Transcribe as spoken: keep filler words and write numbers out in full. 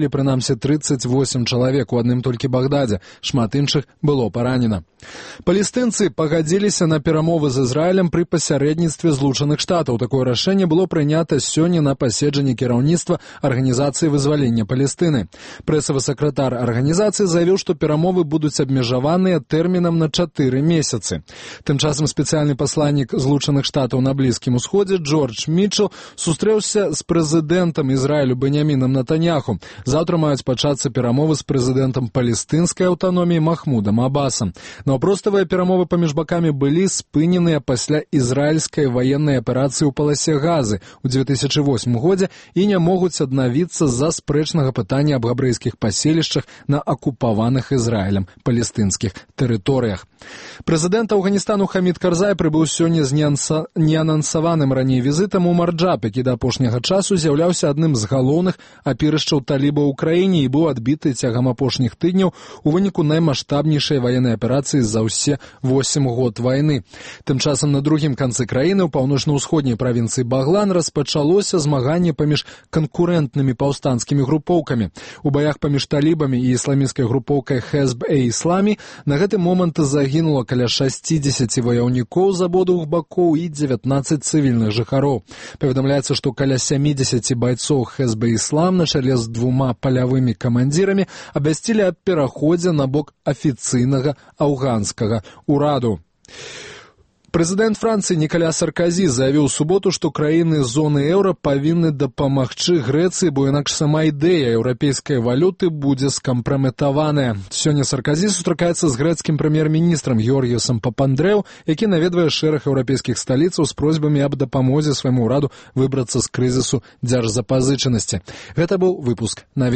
прынамсі тридцать восемь чалавек у адным толькі Багдадзе, шмат іншых было паранена. Палестынцы пагадзіліся на перамовы з Ізраілем пры пасярэдніцтве Злучаных Штатаў. Такое рашэнне было прынята сёння на паседжанні кіраўніцтва Арганізацыі вызвалення Палестыны. Прэсавы сакратар арганізацыі заявіў, што перамовы будуць абмежаваныя тэрмінам на чатыры месяцы. Тым часам спецыяльны пасланнік Злучаных Штатаў на Блізкім Усходзе Джордж Мітчел сустрэўся з прэзідэнтам Ізраілю Беньямінам Нетаньяху. Заўтра маюць пачацца перамовы з прэзідэнтам палестынскай аўтаноміі Махмудам Абасам. Наўпроставыя перамовы паміж бакамі былі спыненыя пасля ізраільскай ваеннай аперацыі ў паласе Газы ў две тысячы восьмым годзе і не могуць аднавіцца з-за спрэчнага пытання аб габрэйскіх паселішчах на акупаваных Ізраілем палестынскіх тэрыторыях. Прэзідэнт Афганістану Хамід Карзай прыбыў сёння з неанансаваным раней візітам у Марджаб, які да апошняга часу з'яўляўся адным з галоўных апірышчаў талібаў у краіне і быў адбіты цягам апошніх тыдняў у выніку наймаштабнейшай ваеннай аперацыі за ўсе восем год вайны. Тым часам на другім канцы краіны, у паўночна-ўсходняй правінцыі Баглан, распачалося змаганне паміж канкурэнтнымі паўстанцкімі групоўкамі. У баях паміж талібамі і ісламісцкай групоўкай Хезб-э-Ісламі на гэты момант загінула каля шасцідзесяці ваяўнікоў з абодвух бакоў і дзевятнаццаць цывільных жыхароў. Паведамляецца, што каля сямідзесяці байцоў Хезб-э-Іслам на чале з двума палявымі камандзірамі абвясцілі аб пераходзе на бок афіцыйнага афганскага ўраду. Прэзідэнт Францыі Нікаля Сарказі заявіў у суботу, што краіны зоны еўра павінны дапамагчы Грэцыі, бо інакш сама ідэя еўрапейскай валюты будзе скампраметаваная. Сёння Сарказі сустракаецца з грэцкім прэм'ер-міністрам Георгіёсам Папандрэу, які наведвае шэраг еўрапейскіх сталіцаў з просьбамі аб дапамозе свайму ўраду выбрацца з крызісу дзяржзапазычанасці. Гэта быў выпуск навін.